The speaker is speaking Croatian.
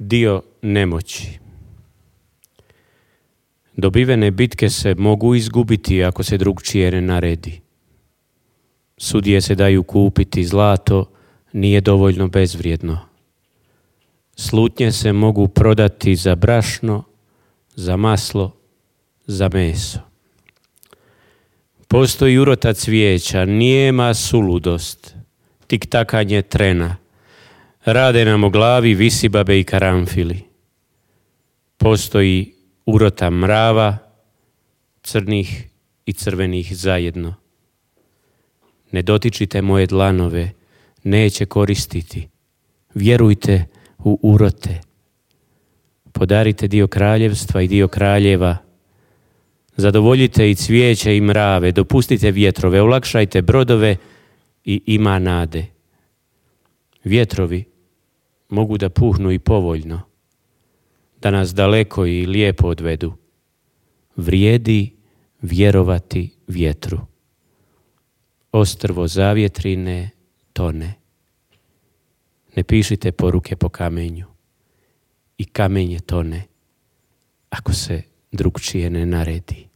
Dio nemoći. Dobivene bitke se mogu izgubiti ako se drugčije ne naredi. Sudije se daju kupiti, zlato nije dovoljno bezvrijedno. Slutnje se mogu prodati za brašno, za maslo, za meso. Postoji urota cvijeća, nijema suludost, tiktakanje trena. Rade nam o glavi visibabe i karanfili. Postoji urota mrava, crnih i crvenih zajedno. Ne dotičite moje dlanove, neće koristiti. Vjerujte u urote. Podarite dio kraljevstva i dio kraljeva. Zadovoljite i cvijeće i mrave, dopustite vjetrove, olakšajte brodove i ima nade. Vjetrovi mogu da puhnu i povoljno, da nas daleko i lijepo odvedu. Vrijedi vjerovati vjetru. Ostrvo zavjetrine tone. Ne pišite poruke po kamenju. I kamenje tone, ako se drugčije ne naredi.